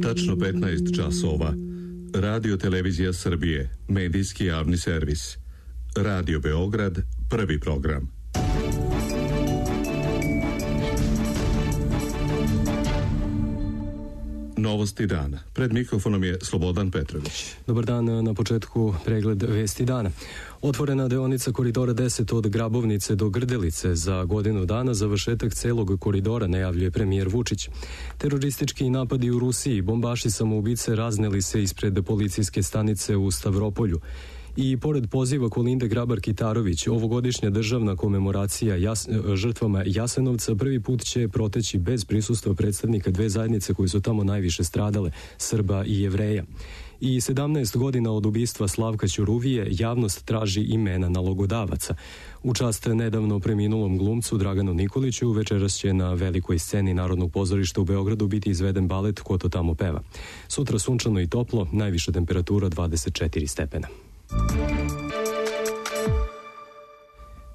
Tačno 15 časova. Radio Televizija Srbije, medijski javni servis. Radio Beograd, prvi program. Novosti dana. Pred mikrofonom je Slobodan Petrović. Dobar dan, na početku pregled vesti dana. Otvorena deonica koridora 10 od Grabovnice do Grdelice. Za godinu dana završetak celog koridora, najavljuje premijer Vučić. Teroristički napadi u Rusiji, bombaši samoubice razneli se ispred policijske stanice u Stavropolju. I pored poziva Kolinde Grabar-Kitarović, ovogodišnja državna komemoracija žrtvama Jasenovca prvi put će proteći bez prisustva predstavnika dve zajednice koje su tamo najviše stradale, Srba i Jevreja. I 17 godina od ubistva Slavka Ćuruvije javnost traži imena nalogodavaca. U čast nedavno preminulom glumcu Draganu Nikoliću večeras će na velikoj sceni Narodnog pozorišta u Beogradu biti izveden balet Ko to tamo peva. Sutra sunčano i toplo, najviša temperatura 24 stepena.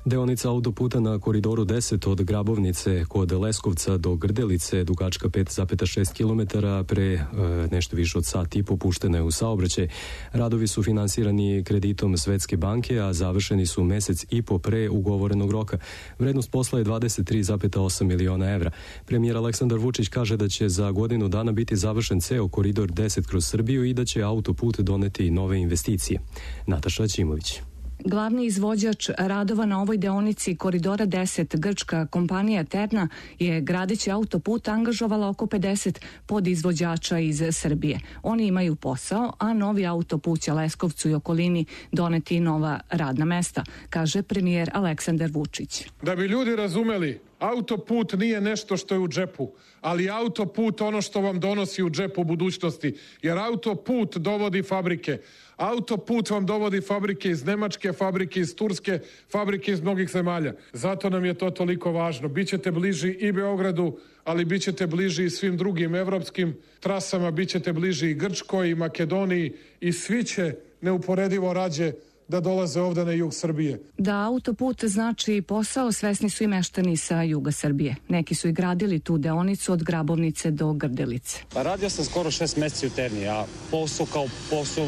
Deonica autoputa na koridoru 10 od Grabovnice kod Leskovca do Grdelice, dugačka 5,6 km, pre nešto više od sat i po puštena je u saobraćaj. Radovi su finansirani kreditom Svetske banke, a završeni su mesec i po pre ugovorenog roka. Vrednost posla je 23,8 miliona evra. Premijer Aleksandar Vučić kaže da će za godinu dana biti završen ceo koridor 10 kroz Srbiju i da će autoput doneti nove investicije. Nataša Ćimović. Glavni izvođač radova na ovoj deonici koridora 10, grčka kompanija Terna, je gradeći autoput angažovala oko 50 podizvođača iz Srbije. Oni imaju posao, a novi autoput će Leskovcu i okolini doneti nova radna mesta, kaže premijer Aleksandar Vučić. Da bi ljudi razumeli, autoput nije nešto što je u džepu, ali autoput ono što vam donosi u džepu budućnosti, jer autoput dovodi fabrike. Autoput vam dovodi fabrike iz Nemačke, fabrike iz Turske, fabrike iz mnogih zemalja. Zato nam je to toliko važno. Bićete bliži i Beogradu, ali bićete bliži i svim drugim evropskim trasama, bićete bliži i Grčkoj i Makedoniji i svi će neuporedivo rađe da dolaze ovde na jug Srbije. Da autoput znači posao, svesni su i meštani sa juga Srbije. Neki su i gradili tu deonicu od Grabovnice do Grdelice. Radio sam skoro 6 meseci u Terni, a posao kao posao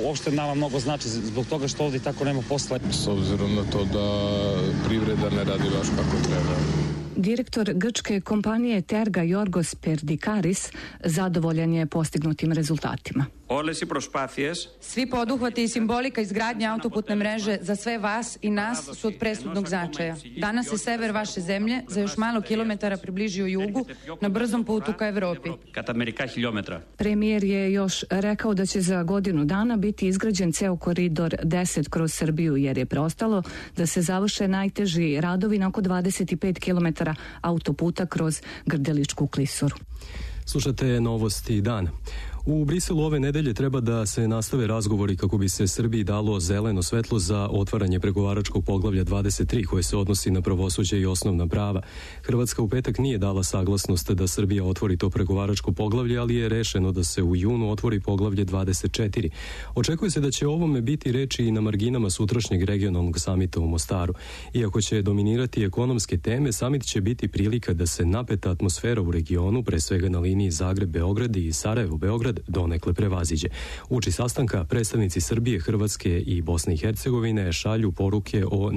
uopšte nama mnogo znači zbog toga što ovdje tako nema posla. S obzirom na to da privreda ne radi baš kako treba. Direktor grčke kompanije Terga Jorgos Perdikaris zadovoljan je postignutim rezultatima. Svi poduhvati i simbolika izgradnje autoputne mreže za sve vas i nas su od presudnog značaja. Danas se sever vaše zemlje za još malo kilometara približio jugu na brzom putu ka Evropi. Premijer je još rekao da će za godinu dana biti izgrađen ceo koridor 10 kroz Srbiju, jer je preostalo da se završe najteži radovi na oko 25 km autoputa kroz Grdeličku klisuru. Slušate novosti dana. U Briselu ove nedelje treba da se nastave razgovori kako bi se Srbiji dalo zeleno svetlo za otvaranje pregovaračkog poglavlja 23 koje se odnosi na pravosuđe i osnovna prava. Hrvatska u petak nije dala saglasnost da Srbija otvori to pregovaračko poglavlje, ali je rešeno da se u junu otvori poglavlje 24. Očekuje se da će o ovome biti reči i na marginama sutrašnjeg regionalnog samita u Mostaru. Iako će dominirati ekonomske teme, samit će biti prilika da se napeta atmosfera u regionu, pre svega na liniji Zagreb-Beograd i Sarajevo-Beograd, donekle prevaziđe. Uoči sastanka predstavnici Srbije, Hrvatske i Bosne i Hercegovine šalju poruke o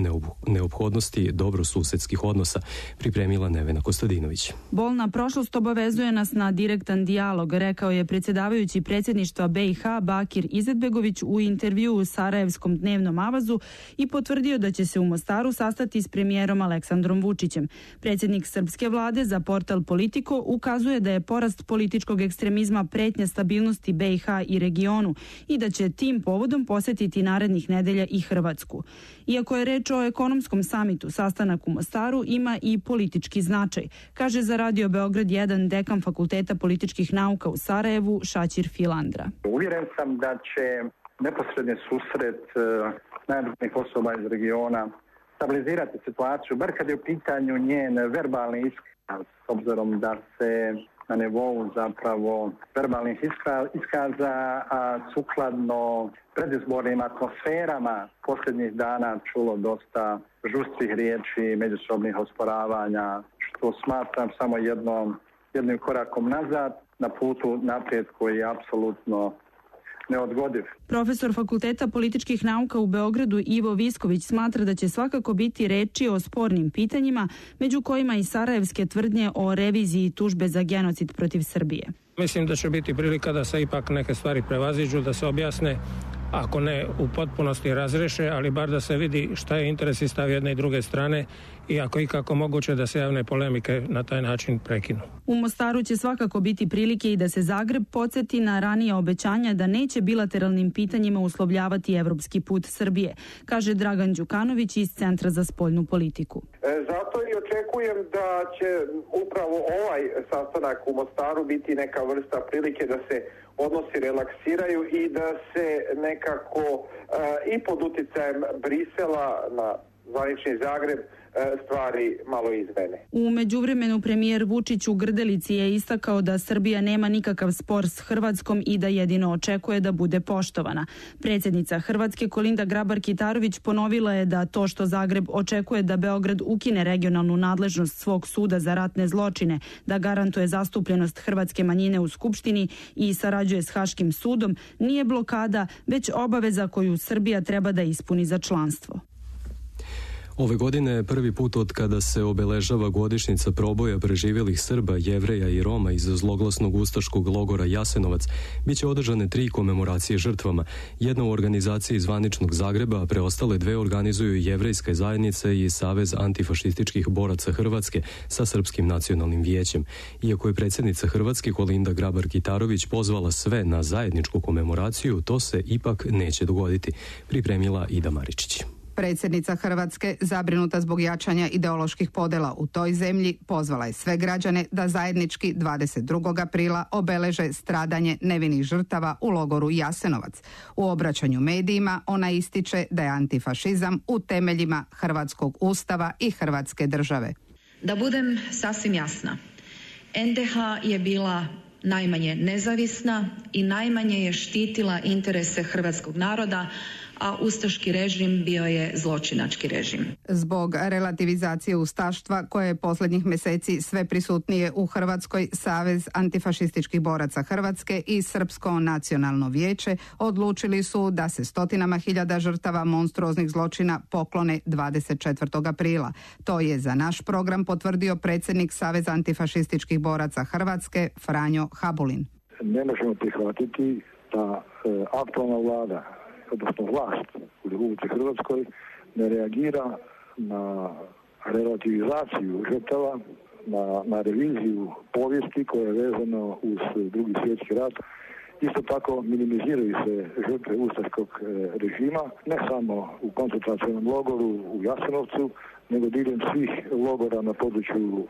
neophodnosti dobrosusedskih odnosa, pripremila Nevena Kostadinović. Bolna prošlost obavezuje nas na direktan dijalog, rekao je predsjedavajući predsjedništva BiH Bakir Izetbegović u intervjuu u Sarajevskom dnevnom avazu i potvrdio da će se u Mostaru sastati s premijerom Aleksandrom Vučićem. Predsjednik srpske vlade za portal Politico ukazuje da je porast političkog ekstremizma pretnja stabilnosti BiH i regionu i da će tim povodom posetiti narednih nedelja i Hrvatsku. Iako je reč o ekonomskom samitu, sastanak u Mostaru ima i politički značaj, kaže za Radio Beograd 1 dekan Fakulteta političkih nauka u Sarajevu Šaćir Filandra. Uvjeren sam da će neposredni susret najvažnijih osoba iz regiona stabilizirati situaciju, bar kad je u pitanju njen verbalni iskaz, s obzirom da se na nivou zapravo verbalnih iskaza, a sukladno predizbornim atmosferama posljednjih dana čulo dosta žustrih riječi, međusobnih osporavanja, što smatram samo jednim korakom nazad. na putu naprijed koji je apsolutno neodgodiv. Profesor Fakulteta političkih nauka u Beogradu Ivo Visković smatra da će svakako biti reči o spornim pitanjima, među kojima i sarajevske tvrdnje o reviziji tužbe za genocid protiv Srbije. Mislim da će biti prilika da se ipak neke stvari prevaziđu, da se objasne, ako ne u potpunosti razreše, ali bar da se vidi šta je interes i stav jedne i druge strane i ako ikako moguće da se javne polemike na taj način prekinu. U Mostaru će svakako biti prilike i da se Zagreb podsjeti na ranije obećanja da neće bilateralnim pitanjima uslovljavati evropski put Srbije, kaže Dragan Đukanović iz Centra za spoljnu politiku. Zato i očekujem da će upravo ovaj sastanak u Mostaru biti neka vrsta prilike da se odnosi relaksiraju i da se nekako i pod uticajem Brisela na zvanični Zagreb stvari malo izmene. U međuvremenu premijer Vučić u Grdelici je istakao da Srbija nema nikakav spor s Hrvatskom i da jedino očekuje da bude poštovana. Predsjednica Hrvatske Kolinda Grabar-Kitarović ponovila je da to što Zagreb očekuje da Beograd ukine regionalnu nadležnost svog suda za ratne zločine, da garantuje zastupljenost hrvatske manjine u Skupštini i sarađuje s Haškim sudom, nije blokada, već obaveza koju Srbija treba da ispuni za članstvo. Ove godine je prvi put od kada se obeležava godišnjica proboja preživjelih Srba, Jevreja i Roma iz zloglasnog ustaškog logora Jasenovac. Biće održane 3 komemoracije žrtvama. Jedna u organizaciji zvaničnog Zagreba, a preostale 2 organizuju Jevrejska zajednica i Savez antifašističkih boraca Hrvatske sa Srpskim nacionalnim vijećem. Iako je predsjednica Hrvatske Kolinda Grabar-Kitarović pozvala sve na zajedničku komemoraciju, to se ipak neće dogoditi, pripremila Ida Maričić. Predsjednica Hrvatske, zabrinuta zbog jačanja ideoloških podjela u toj zemlji, pozvala je sve građane da zajednički 22. aprila obeleže stradanje nevinih žrtava u logoru Jasenovac. U obraćanju medijima ona ističe da je antifašizam u temeljima hrvatskog ustava i Hrvatske države. Da budem sasvim jasna, NDH je bila najmanje nezavisna i najmanje je štitila interese hrvatskog naroda, a ustaški režim bio je zločinački režim. Zbog relativizacije ustaštva koje je posljednjih mjeseci sve prisutnije u Hrvatskoj, Savez antifašističkih boraca Hrvatske i Srpsko nacionalno vijeće odlučili su da se stotinama hiljada žrtava monstruoznih zločina poklone 24. aprila. To je za naš program potvrdio predsjednik Saveza antifašističkih boraca Hrvatske Franjo Habulin. Ne možemo prihvatiti da aktualna vlada, odnosno vlast u Republici Hrvatskoj, ne reagira na relativizaciju žrtava, na reviziju povijesti koja je vezana uz Drugi svjetski rat. Isto tako minimiziraju se žrtve ustaškog režima, ne samo u koncentracionom logoru u Jasenovcu, nego diljem svih logora na području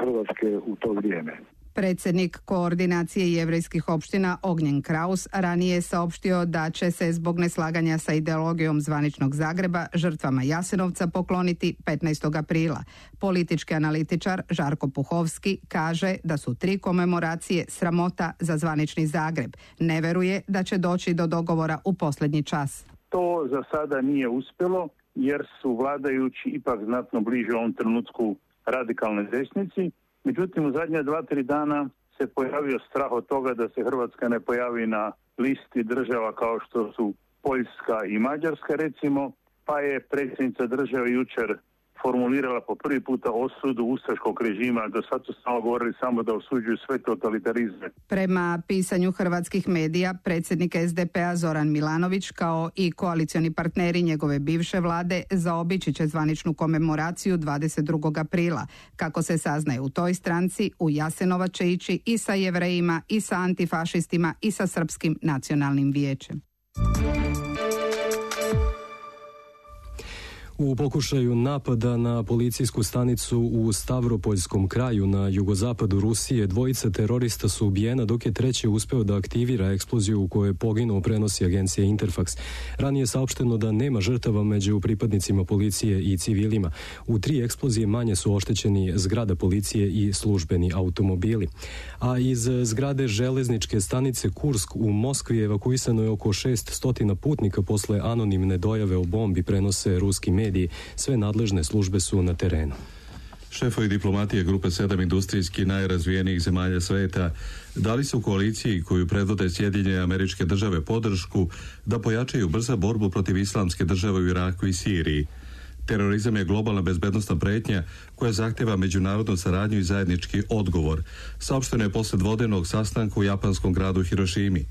Hrvatske u to vrijeme. Predsjednik koordinacije jevrejskih opština Ognjen Kraus ranije je saopštio da će se zbog neslaganja sa ideologijom zvaničnog Zagreba žrtvama Jasenovca pokloniti 15. aprila. Politički analitičar Žarko Puhovski kaže da su 3 komemoracije sramota za zvanični Zagreb. Ne veruje da će doći do dogovora u posljednji čas. To za sada nije uspjelo jer su vladajući ipak znatno bliže u ovom trenutku radikalnoj desnici. Međutim, u zadnje 2-3 dana se pojavio strah od toga da se Hrvatska ne pojavi na listi država kao što su Poljska i Mađarska recimo, pa je predsjednica države jučer formulirala po prvi puta osudu ustaškog režima. Do sad su samo govorili samo da osuđuju sve totalitarizme. Prema pisanju hrvatskih medija, predsjednik SDP-a Zoran Milanović kao i koalicioni partneri njegove bivše vlade zaobići će zvaničnu komemoraciju 22. aprila. Kako se saznaje u toj stranci, u Jasenovac će ići i sa Jevrejima, i sa antifašistima, i sa Srpskim nacionalnim vijećem. U pokušaju napada na policijsku stanicu u Stavropoljskom kraju na jugozapadu Rusije 2 terorista su ubijena, dok je 3. uspeo da aktivira eksploziju u kojoj je poginuo, prenosi agencija Interfax. Ranije je saopšteno da nema žrtava među pripadnicima policije i civilima. U 3 eksplozije manje su oštećeni zgrada policije i službeni automobili. A iz zgrade železničke stanice Kursk u Moskvi evakuisano je oko 600 putnika posle anonimne dojave o bombi, prenose ruski mediji. Sve nadležne službe su na terenu. Šefovi diplomatije grupe 7 industrijski najrazvijenijih zemalja sveta dali su koaliciji koju predvode Sjedinjene Američke Države podršku da pojačaju brza borbu protiv islamske države u Iraku i Siriji. Terorizam je globalna bezbednosna pretnja koja zahtjeva međunarodnu saradnju i zajednički odgovor, saopšteno je posle dvodenog sastanka u japanskom gradu Hirošimi.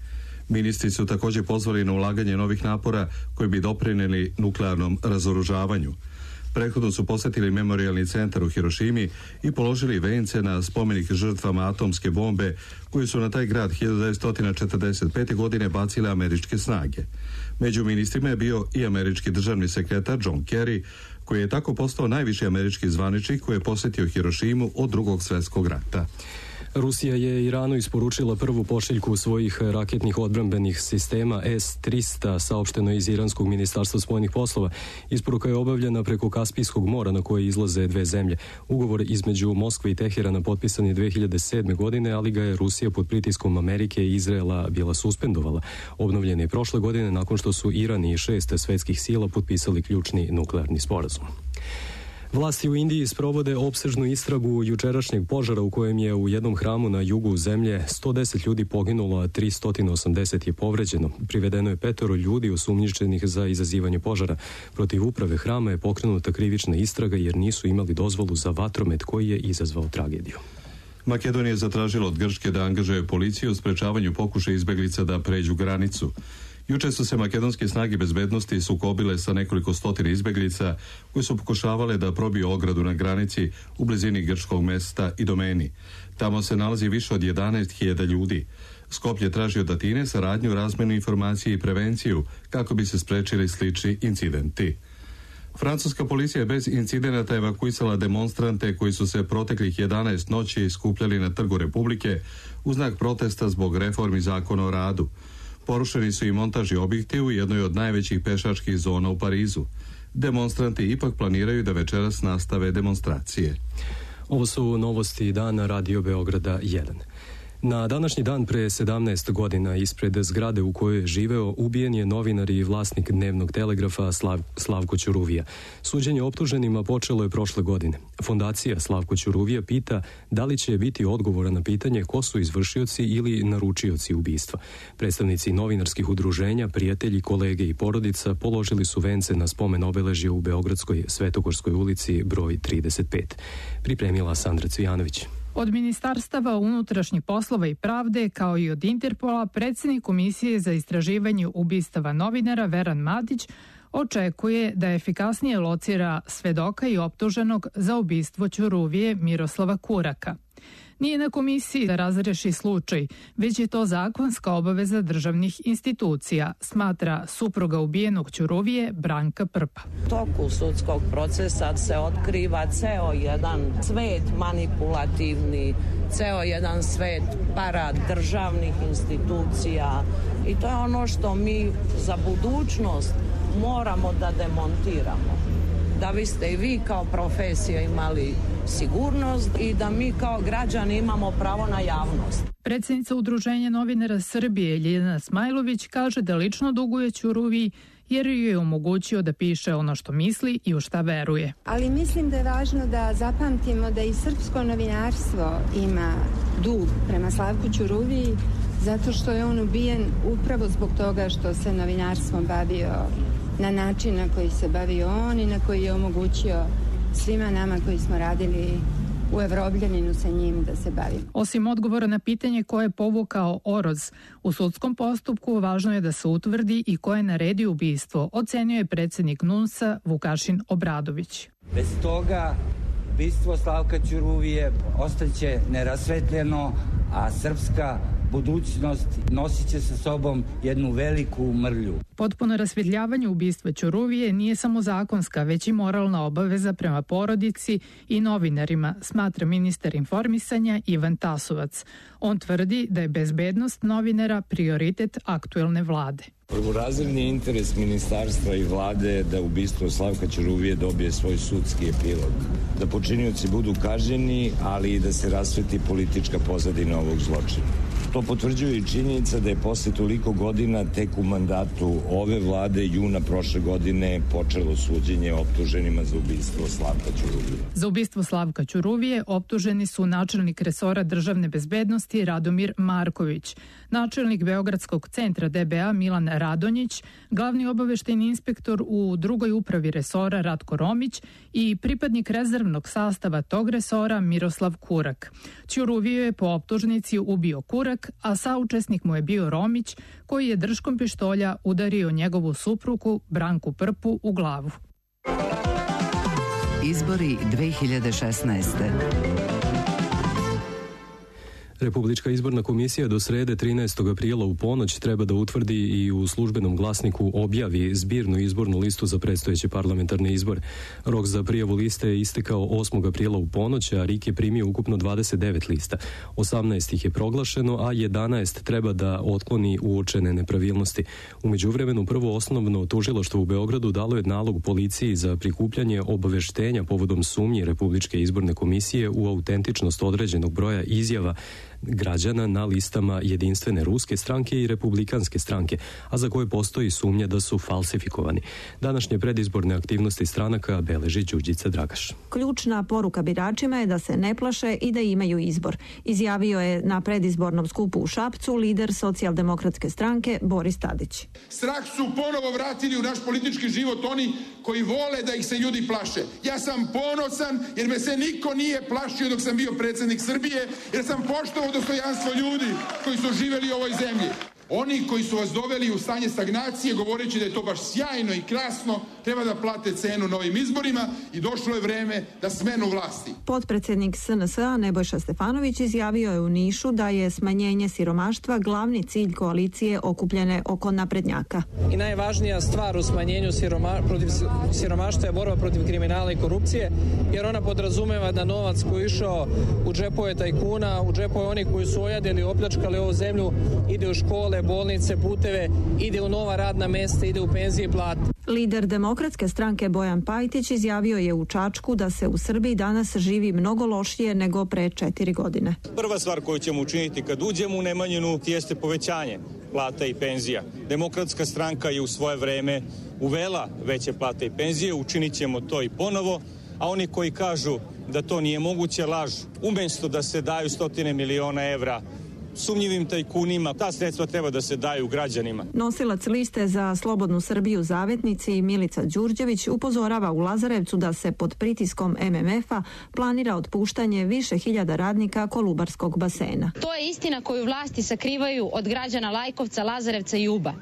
Ministri su također pozvali na ulaganje novih napora koji bi doprinijeli nuklearnom razoružavanju. Prethodno su posjetili memorijalni centar u Hirošimi i položili vence na spomenik žrtvama atomske bombe koju su na taj grad 1945. godine bacile američke snage. Među ministrima je bio i američki državni sekretar John Kerry, koji je tako postao najviši američki zvaničnik koji je posjetio Hirošimu od Drugog svjetskog rata. Rusija je Iranu isporučila prvu pošiljku svojih raketnih odbrambenih sistema S-300, saopšteno iz Iranskog ministarstva spoljnih poslova. Isporuka je obavljena preko Kaspijskog mora na koje izlaze dve zemlje. Ugovor između Moskve i Teherana potpisan je 2007. godine, ali ga je Rusija pod pritiskom Amerike i Izraela bila suspendovala. Obnovljen je prošle godine nakon što su Iran i 6 svetskih sila potpisali ključni nuklearni sporazum. Vlasti u Indiji sprovode opsežnu istragu jučerašnjeg požara u kojem je u jednom hramu na jugu zemlje 110 ljudi poginulo, a 380 je povređeno. Privedeno je 5 ljudi osumnjičenih za izazivanje požara. Protiv uprave hrama je pokrenuta krivična istraga jer nisu imali dozvolu za vatromet koji je izazvao tragediju. Makedonija je zatražila od Grčke da angažuje policiju u sprečavanju pokušaja izbeglica da pređu granicu. Juče su se makedonske snage bezbednosti sukobile sa nekoliko stotina izbeglica koje su pokušavale da probiju ogradu na granici u blizini grčkog mesta Idomeni. Tamo se nalazi više od 11.000 ljudi. Skopje traži od Atine saradnju, razmenu informacije i prevenciju kako bi se sprečili slični incidenti. Francuska policija je bez incidenata evakuisala demonstrante koji su se proteklih 11 noći skupljali na Trgu Republike u znak protesta zbog reformi zakona o radu. Porušeni su i montažni objekti u jednoj od najvećih pešačkih zona u Parizu. Demonstranti ipak planiraju da večeras nastave demonstracije. Ovo su novosti dana Radio Beograda 1. Na današnji dan pre 17 godina ispred zgrade u kojoj je živeo ubijen je novinar i vlasnik dnevnog telegrafa Slavko Ćuruvija. Suđenje optuženima počelo je prošle godine. Fondacija Slavko Ćuruvija pita da li će biti odgovora na pitanje ko su izvršioci ili naručioci ubistva. Predstavnici novinarskih udruženja, prijatelji, kolege i porodica položili su vence na spomen obeležje u Beogradskoj Svetogorskoj ulici broj 35. Pripremila Sandra Cvijanović. Od Ministarstava unutrašnjih poslova i pravde, kao i od Interpola, predsjednik Komisije za istraživanje ubistava novinara Veran Madić očekuje da efikasnije locira svedoka i optuženog za ubistvo Ćuruvije Miroslava Kuraka. Nije na komisiji da razreši slučaj, već je to zakonska obaveza državnih institucija, smatra supruga ubijenog Ćuruvije Branka Prpa. U toku sudskog procesa se otkriva ceo jedan svet manipulativni, ceo jedan svet parad državnih institucija i to je ono što mi za budućnost moramo da demontiramo. Da biste i vi kao profesija imali sigurnost i da mi kao građani imamo pravo na javnost. Predsjednica Udruženja novinara Srbije Ljiljana Smajlović kaže da lično duguje Ćuruviji jer ju je omogućio da piše ono što misli i u šta veruje. Ali mislim da je važno da zapamtimo da i srpsko novinarstvo ima dug prema Slavku Ćuruviji zato što je on ubijen upravo zbog toga što se novinarstvom bavio na način na koji se bavio on i na koji je omogućio svima nama koji smo radili u Evropljaninu sa njim da se bavimo. Osim odgovora na pitanje ko je povukao oroz, u sudskom postupku važno je da se utvrdi i ko je naredio ubistvo, ocenio je predsjednik NUNS-a Vukašin Obradović. Bez toga ubistvo Slavka Ćuruvije ostaće nerasvetljeno, a srpska budućnost nosit će sa sobom jednu veliku mrlju. Potpuno rasvjetljavanje ubistva Ćuruvije nije samo zakonska, već i moralna obaveza prema porodici i novinarima, smatra ministar informisanja Ivan Tasovac. On tvrdi da je bezbednost novinara prioritet aktuelne vlade. Prvorazredni interes ministarstva i vlade je da ubistvo Slavka Ćuruvije dobije svoj sudski epilog. Da počinioci budu kažnjeni, ali i da se rasveti politička pozadina ovog zločina. To potvrđuje i činjenica da je posle toliko godina tek u mandatu ove vlade juna prošle godine počelo suđenje optuženima za ubistvo Slavka Ćuruvije. Za ubistvo Slavka Ćuruvije optuženi su načelnik resora državne bezbednosti Radomir Marković, načelnik Beogradskog centra DBA Milan Radonjić, glavni obaveštajni inspektor u drugoj upravi resora Ratko Romić i pripadnik rezervnog sastava tog resora Miroslav Kurak. Ćuruviju je po optužnici ubio Kurak, a saučesnik mu je bio Romić, koji je držkom pištolja udario njegovu suprugu Branku Prpu u glavu. Izbori 2016. Republička izborna komisija do srede 13. aprila u ponoć treba da utvrdi i u službenom glasniku objavi zbirnu izbornu listu za predstojeće parlamentarne izbore. Rok za prijavu liste je istekao 8. aprila u ponoć, a RIK je primio ukupno 29 lista. 18 ih je proglašeno, a 11 treba da otkloni uočene nepravilnosti. U međuvremenu prvo osnovno tužilaštvo u Beogradu dalo je nalog policiji za prikupljanje obaveštenja povodom sumnje Republičke izborne komisije u autentičnost određenog broja izjava građana na listama Jedinstvene ruske stranke i Republikanske stranke, a za koje postoji sumnja da su falsifikovani. Današnje predizborne aktivnosti stranaka beleži Đurđica Dragaš. Ključna poruka biračima je da se ne plaše i da imaju izbor. Izjavio je na predizbornom skupu u Šapcu lider Socijaldemokratske stranke Boris Tadić. Strah su ponovo vratili u naš politički život oni koji vole da ih se ljudi plaše. Ja sam ponosan jer me se niko nije plašio dok sam bio predsjednik Srbije, jer sam poštovao dostojanstvo ljudi koji su živjeli u ovoj zemlji. Oni koji su vas doveli u stanje stagnacije govoreći da je to baš sjajno i krasno, treba da plate cenu na ovim izborima i došlo je vreme da smenu vlasti. Potpredsjednik SNS-a Nebojša Stefanović izjavio je u Nišu da je smanjenje siromaštva glavni cilj koalicije okupljene oko naprednjaka. I najvažnija stvar u smanjenju siromaštva je borba protiv kriminala i korupcije, jer ona podrazumeva da novac koji je išao u džepove tajkuna, u džepove onih koji su ojadili i opljačkali ovu zemlju, ide u škole, bolnice, puteve, ide u nova radna mesta, ide u penzije i plate. Lider Demokratske stranke Bojan Pajtić izjavio je u Čačku da se u Srbiji danas živi mnogo lošije nego pre 4 godine. Prva stvar koju ćemo učiniti kad uđemo u Nemanjinu jeste povećanje plata i penzija. Demokratska stranka je u svoje vreme uvela veće plate i penzije, učinit ćemo to i ponovo, a oni koji kažu da to nije moguće lažu. Umjesto da se daju 100 miliona evra sumnjivim tajkunima, ta sredstva treba da se daju građanima. Nosilac liste za Slobodnu Srbiju Zavetnici Milica Đurđević upozorava u Lazarevcu da se pod pritiskom MMF-a planira otpuštanje više hiljada radnika Kolubarskog basena. To je istina koju vlasti sakrivaju od građana Lajkovca, Lazarevca i Uba.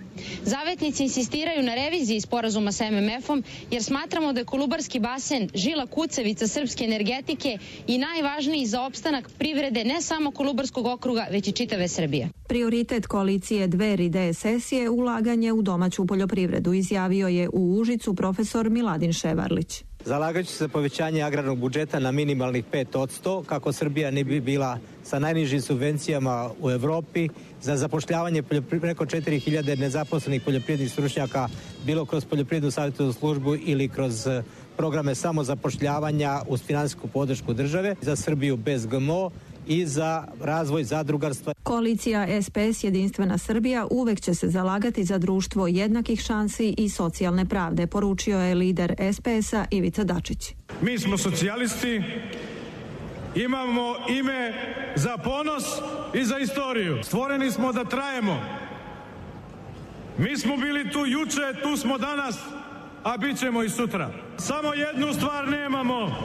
Zavetnici insistiraju na reviziji sporazuma sa MMF-om jer smatramo da je Kolubarski basen žila kucavica srpske energetike i najvažniji za opstanak privrede ne samo Kolubarskog okruga, već i čitave Srbije. Prioritet koalicije Dveri DSS je ulaganje u domaću poljoprivredu, izjavio je u Užicu profesor Miladin Ševarlić. Zalagaću se za povećanje agrarnog budžeta na minimalnih 5%, kako Srbija ne bi bila sa najnižim subvencijama u Evropi, za zapošljavanje preko 4000 nezaposlenih poljoprivrednih stručnjaka, bilo kroz poljoprivrednu savjetodavnu službu ili kroz programe samozapošljavanja uz finansijsku podršku države, za Srbiju bez GMO i za razvoj zadrugarstva. Koalicija SPS Jedinstvena Srbija uvek će se zalagati za društvo jednakih šansi i socijalne pravde, poručio je lider SPS-a Ivica Dačić. Mi smo socijalisti, imamo ime za ponos i za istoriju. Stvoreni smo da trajemo. Mi smo bili tu juče, tu smo danas, a bit ćemo i sutra. Samo jednu stvar nemamo.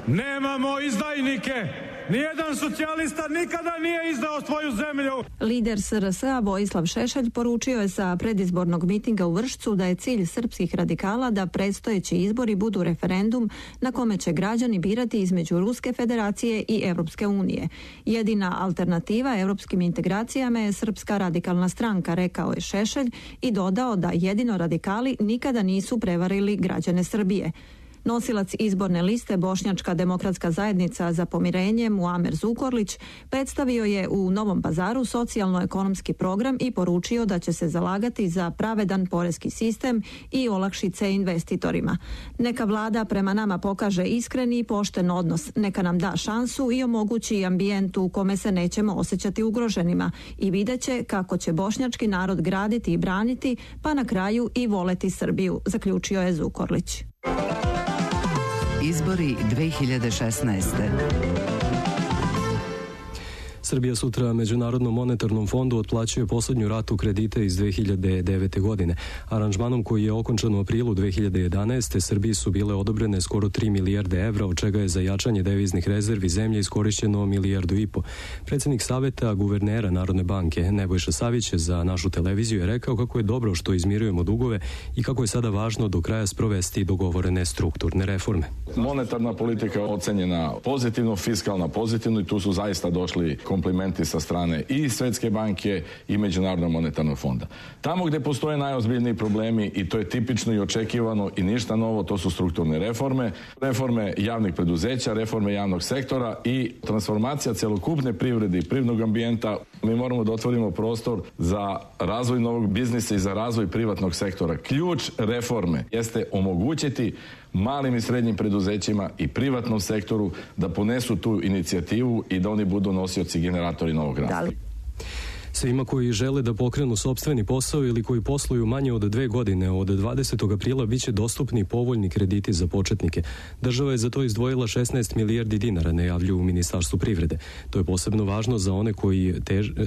Nemamo izdajnike. Nijedan socijalista nikada nije izdao svoju zemlju. Lider SRS-a Vojislav Šešelj poručio je sa predizbornog mitinga u Vršcu da je cilj srpskih radikala da predstojeći izbori budu referendum na kome će građani birati između Ruske federacije i Evropske unije. Jedina alternativa evropskim integracijama je Srpska radikalna stranka, rekao je Šešelj i dodao da jedino radikali nikada nisu prevarili građane Srbije. Nosilac izborne liste Bošnjačka demokratska zajednica za pomirenje Muamer Zukorlić predstavio je u Novom Pazaru socijalno-ekonomski program i poručio da će se zalagati za pravedan poreski sistem i olakšice investitorima. Neka vlada prema nama pokaže iskreni i pošten odnos, neka nam da šansu i omogući ambijent u kome se nećemo osjećati ugroženima i vidjet će kako će bošnjački narod graditi i braniti, pa na kraju i voleti Srbiju, zaključio je Zukorlić. Izbori 2016. Srbija sutra Međunarodnom monetarnom fondu otplaćuje posljednju ratu kredita iz 2009. godine. Aranžmanom koji je okončan u aprilu 2011. Srbiji su bile odobrene skoro 3 milijarde evra, od čega je za jačanje deviznih rezervi zemlje iskorišćeno 1,5 milijardu. Predsjednik Saveta guvernera Narodne banke Nebojša Savić za našu televiziju je rekao kako je dobro što izmirujemo dugove i kako je sada važno do kraja sprovesti dogovorene strukturne reforme. Monetarna politika je ocenjena pozitivno, fiskalna pozitivno i tu su zaista došli komplimenti sa strane i Svetske banke i Međunarodnog monetarnog fonda. Tamo gdje postoje najozbiljniji problemi, i to je tipično i očekivano i ništa novo, to su strukturne reforme, reforme javnih preduzeća, reforme javnog sektora i transformacija celokupne privrede i privrednog ambijenta. Mi moramo da otvorimo prostor za razvoj novog biznisa i za razvoj privatnog sektora. Ključ reforme jeste omogućiti malim i srednjim preduzećima i privatnom sektoru da ponesu tu inicijativu i da oni budu nosioci i generatori novog rasta. Svima koji žele da pokrenu sopstveni posao ili koji posluju manje od 2 godine, od 20. aprila biće dostupni povoljni krediti za početnike. Država je za to izdvojila 16 milijardi dinara, najavljuju u Ministarstvu privrede. To je posebno važno za one koji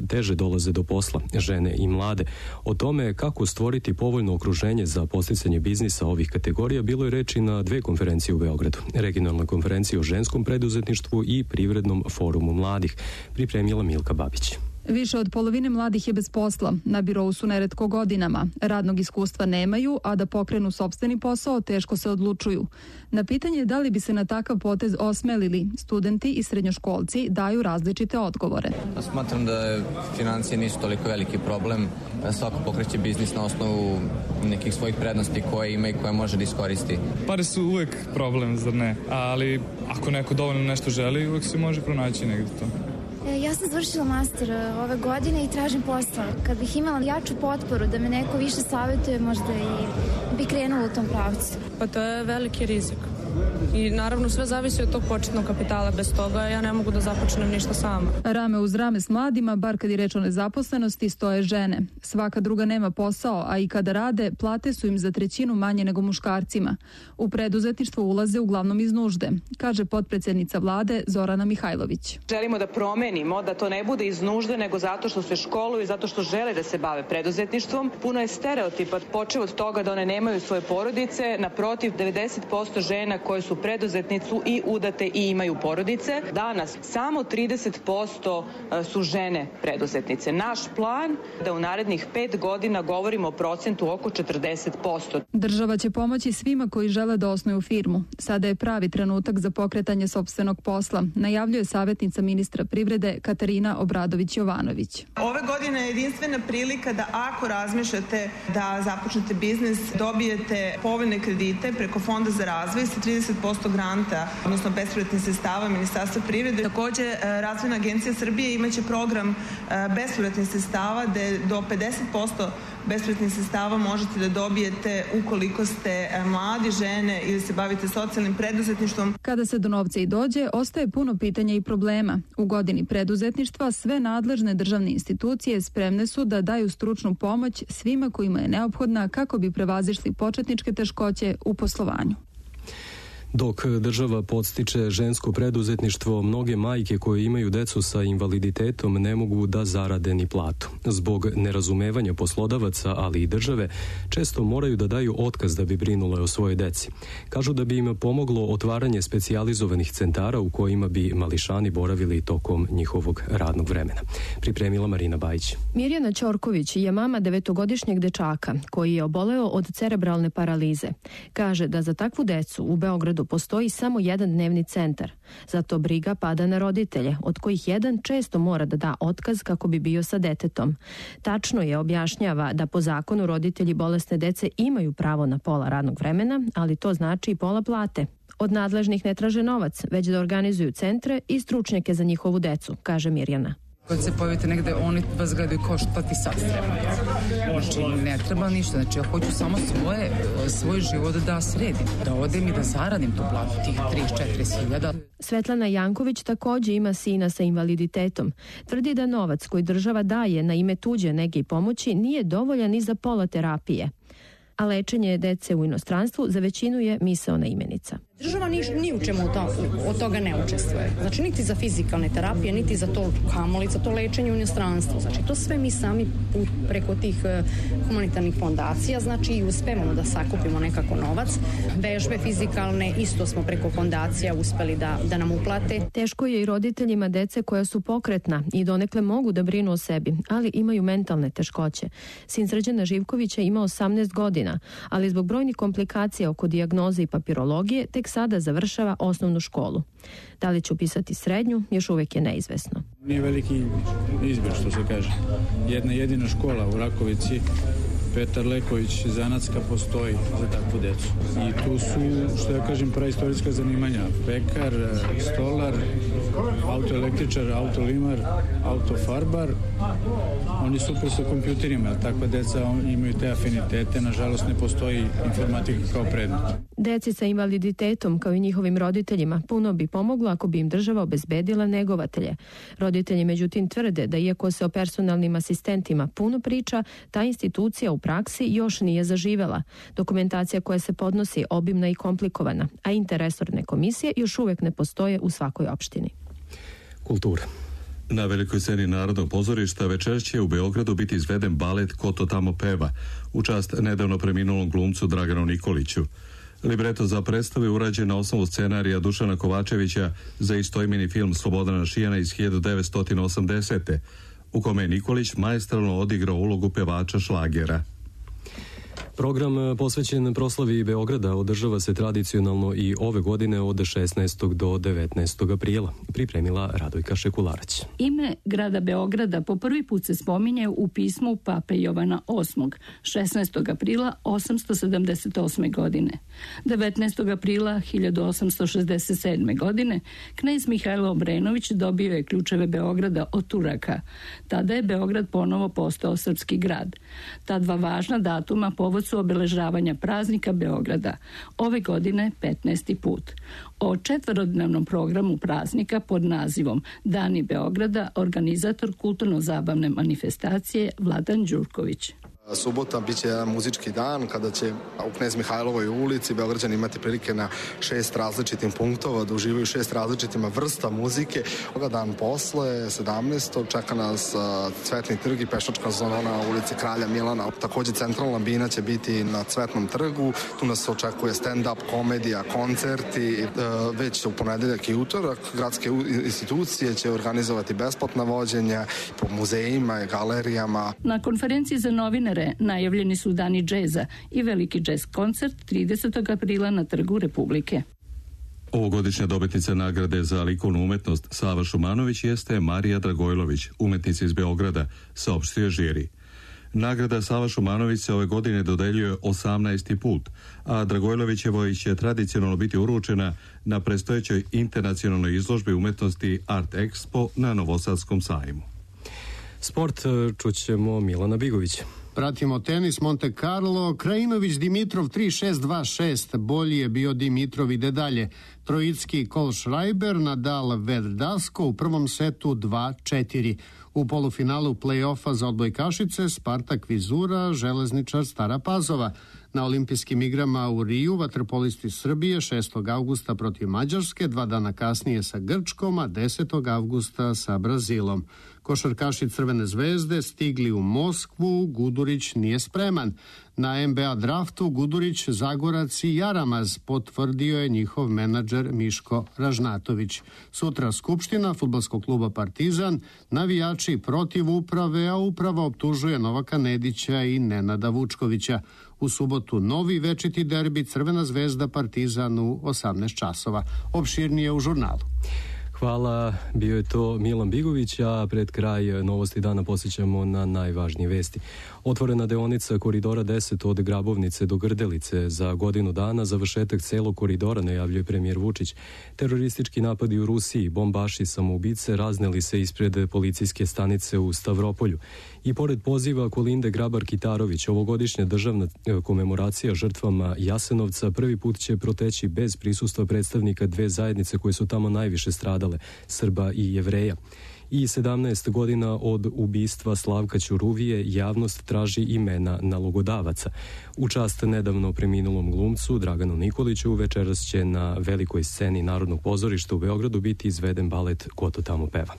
teže dolaze do posla, žene i mlade. O tome kako stvoriti povoljno okruženje za podsticanje biznisa ovih kategorija bilo je reči na 2 konferencije u Beogradu. Regionalna konferencija o ženskom preduzetništvu i privrednom forumu mladih. Pripremila Milka Babić. Više od polovine mladih je bez posla. Na birou su neretko godinama. Radnog iskustva nemaju, a da pokrenu sopstveni posao teško se odlučuju. Na pitanje da li bi se na takav potez osmelili, studenti i srednjoškolci daju različite odgovore. Smatram da financije nisu toliko veliki problem. Svako pokreće biznis na osnovu nekih svojih prednosti koje ima i koje može da iskoristi. Pare su uvek problem, zar ne? Ali ako neko dovoljno nešto želi, uvek se može pronaći negdje to. Ja sam završila master ove godine i tražim posao. Kad bih imala jaču potporu da me neko više savjetuje, možda i bi krenula u tom pravcu. Pa to je veliki rizik. I naravno sve zavisi od tog početnog kapitala. Bez toga ja ne mogu da započnem ništa sama. Rame uz rame s mladima, bar kad je reč o nezaposlenosti, stoje žene. Svaka druga nema posao, a i kada rade, plate su im za 1/3 manje nego muškarcima. U preduzetništvo ulaze uglavnom iz nužde, kaže potpredsjednica vlade Zorana Mihajlović. Želimo da promenimo, da to ne bude iz nužde, nego zato što se školuju i zato što žele da se bave preduzetništvom. Puno je stereotipa, počev od toga da one nemaju svoje porodice. Naprotiv, 90% žena koje su preduzetnicu i udate i imaju porodice. Danas samo 30% su žene preduzetnice. Naš plan da u narednih 5 godina govorimo o procentu oko 40%. Država će pomoći svima koji žele da osnuju firmu. Sada je pravi trenutak za pokretanje sopstvenog posla, najavljuje savjetnica ministra privrede Katarina Obradović-Jovanović. Ove godine je jedinstvena prilika da ako razmišljate da započnete biznis, dobijete povoljne kredite preko Fonda za razvoj sa 30% granta, odnosno bespovratnih sredstava Ministarstva privrede. Također, Razvojna agencija Srbije imaće program bespovratnih sredstava gde do 50% bespovratnih sredstava možete da dobijete ukoliko ste mladi, žene ili se bavite socijalnim preduzetništvom. Kada se do novca i dođe, ostaje puno pitanja i problema. U godini preduzetništva sve nadležne državne institucije spremne su da daju stručnu pomoć svima kojima je neophodna kako bi prevazišli početničke teškoće u poslovanju. Dok država podstiče žensko preduzetništvo, mnoge majke koje imaju decu sa invaliditetom ne mogu da zarade ni platu. Zbog nerazumevanja poslodavaca, ali i države, često moraju da daju otkaz da bi brinule o svojoj deci. Kažu da bi im pomoglo otvaranje specijalizovanih centara u kojima bi mališani boravili tokom njihovog radnog vremena. Pripremila Marina Bajić. Mirjana Ćorković je mama 9-godišnjeg dečaka koji je oboleo od cerebralne paralize. Kaže da za takvu decu u Beogradu Beogradu postoji samo jedan dnevni centar. Zato briga pada na roditelje, od kojih jedan često mora da da otkaz kako bi bio sa detetom. Tačno je, objašnjava, da po zakonu roditelji bolesne dece imaju pravo na pola radnog vremena, ali to znači i pola plate. Od nadležnih ne traže novac, već da organizuju centre i stručnjake za njihovu decu, kaže Mirjana. Kad se pojavite negde, oni vas gledaju kao šta ti sad treba. Znači, ne treba ništa. Znači, ja hoću samo svoj život da sredim. Da odem i da zaradim tu platu, tih 30-40 hiljada. Svetlana Janković takođe ima sina sa invaliditetom. Tvrdi da novac koji država daje na ime tuđe nege i pomoći nije dovoljan ni za pola terapije. A lečenje dece u inostranstvu za većinu je misaona imenica. Država ni u čemu od toga ne učestvuje. Znači, niti za fizikalne terapije, niti za to kamoli, za to lečenje u inostranstvu. Znači, to sve mi sami preko tih humanitarnih fondacija, znači i uspevamo da sakupimo nekako novac. Vežbe fizikalne isto smo preko fondacija uspeli da nam uplate. Teško je i roditeljima dece koja su pokretna i donekle mogu da brinu o sebi, ali imaju mentalne teškoće. Sin Srđana Živkovića ima 18 godina, ali zbog brojnih komplikacija oko dijagnoze i papirologije tek sada završava osnovnu školu. Da li će upisati srednju, još uvek je neizvesno. Nije veliki izbor, što se kaže. Jedna jedina škola u Rakovici, Petar Leković zanatska, postoji za takvu decu. I tu su, što ja kažem, praistorijska zanimanja. Pekar, stolar, autoelektričar, autolimar, autofarbar. Oni su super sa kompjuterima, takva deca imaju te afinitete. Nažalost, ne postoji informatika kao predmet. Deci sa invaliditetom, kao i njihovim roditeljima, puno bi pomoglo ako bi im država obezbedila negovatelje. Roditelji međutim tvrde da iako se o personalnim asistentima puno priča, ta institucija u praksi još nije zaživela. Dokumentacija koja se podnosi obimna i komplikovana, a interresorne komisije još uvek ne postoje u svakoj opštini. Kultura. Na velikoj sceni Narodnog pozorišta večeras će u Beogradu biti izveden balet Ko to tamo peva, u čast nedavno preminulom glumcu Draganu Nikoliću. Libreto za predstavu je urađen na osnovu scenarija Dušana Kovačevića za istoimeni film Slobodana Šijana iz 1980. u kome je Nikolić maestralno odigrao ulogu pevača šlagera. Program posvećen proslavi Beograda održava se tradicionalno i ove godine od 16. do 19. aprila, pripremila Radojka Šekularac. Ime grada Beograda po prvi put se spominje u pismu Pape Jovana VIII, 16. aprila 878. godine. 19. aprila 1867. godine knez Mihajlo Obrenović dobio je ključeve Beograda od Turaka. Tada je Beograd ponovo postao srpski grad. Ta dva važna datuma povod su obeležavanja praznika Beograda, ove godine 15. put. O četverodnevnom programu praznika pod nazivom Dani Beograda organizator kulturno-zabavne manifestacije Vladan Đurković. Subota biće jedan muzički dan kada će u Knez Mihajlovoj ulici Beograđani imati prilike na 6 različitim punktova da uživaju 6 različitima vrsta muzike. Ovoga dan posle, 17. čeka nas Cvetni trg i pešačka zona na ulici Kralja Milana. Takođe centralna bina će biti na Cvetnom trgu. Tu nas očekuje stand-up, komedija, koncerti. Već u ponedeljak i utorak gradske institucije će organizovati besplatna vođenja po muzejima i galerijama. Na konferenciji za novinare najavljeni su Dani džeza i veliki džez koncert 30. aprila na Trgu Republike. Ovogodišnja dobitnica nagrade za likovnu umetnost Sava Šumanović jeste Marija Dragojlović, umetnica iz Beograda, saopštio žiri. Nagrada Sava Šumanović se ove godine dodeljuje 18. put, a Dragojlovićevoj će tradicionalno biti uručena na predstojećoj internacionalnoj izložbi umetnosti Art Expo na Novosadskom sajmu. Sport čućemo Milana Bigović. Pratimo tenis Monte Carlo, Krajinović Dimitrov 3-6-2-6, bolji je bio Dimitrov, ide dalje. Trojicki Kohlschreiber, Nadal Verdasco u prvom setu 2-4. U polufinalu play-offa za odbojkašice Spartak Vizura, Železničar Stara Pazova. Na olimpijskim igrama u Riju vaterpolisti Srbije 6. avgusta protiv Mađarske, 2 dana kasnije sa Grčkom, a 10. avgusta sa Brazilom. Košarkaši Crvene zvezde stigli u Moskvu, Gudurić nije spreman. Na NBA draftu Gudurić, Zagorac i Jaramaz, potvrdio je njihov menadžer Miško Ražnatović. Sutra skupština fudbalskog kluba Partizan, navijači protiv uprave, a uprava optužuje Novaka Nedića i Nenada Vučkovića. U subotu novi večiti derbi Crvena zvezda Partizan u 18 časova. Opširnije u žurnalu. Hvala, bio je to Milan Bigović, a pred kraj novosti dana posjećamo na najvažnije vesti. Otvorena deonica koridora 10 od Grabovnice do Grdelice za godinu dana, završetak celog koridora najavljuje premijer Vučić. Teroristički napadi u Rusiji, bombaši samoubice razneli se ispred policijske stanice u Stavropolju. I pored poziva Kolinde Grabar-Kitarović, ovogodišnja državna komemoracija žrtvama Jasenovca prvi put će proteći bez prisustva predstavnika dve zajednice koje su tamo najviše stradale, Srba i Jevreja. I 17 godina od ubistva Slavka Ćuruvije javnost traži imena nalogodavaca. U čast nedavno preminulom glumcu Draganu Nikoliću večeras će na velikoj sceni Narodnog pozorišta u Beogradu biti izveden balet Ko to tamo peva.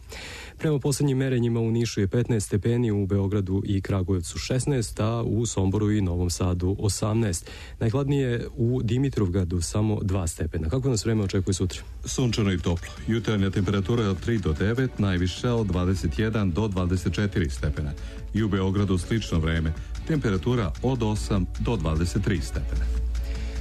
Prema poslednjim merenjima u Nišu je 15 stepeni, u Beogradu i Kragujevcu 16, a u Somboru i Novom Sadu 18. Najhladnije u Dimitrovgradu samo 2 stepena. Kako nas vreme očekuje sutra? Sunčano i toplo. Jutarnja temperatura od 3 do 9, najviša od 21 do 24 stepena. I u Beogradu slično vreme. Temperatura od 8 do 23 stepena.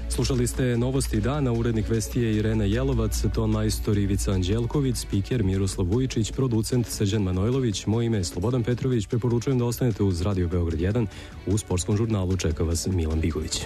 Slušali ste novosti dana, urednik vesti je Irena Jelovac, ton majstor Ivica Anđelković, spiker Miroslav Vujičić, producent Srđan Manojlović, moje ime je Slobodan Petrović, preporučujem da ostanete uz Radio Beograd 1, u sportskom žurnalu čeka vas Milan Bigović.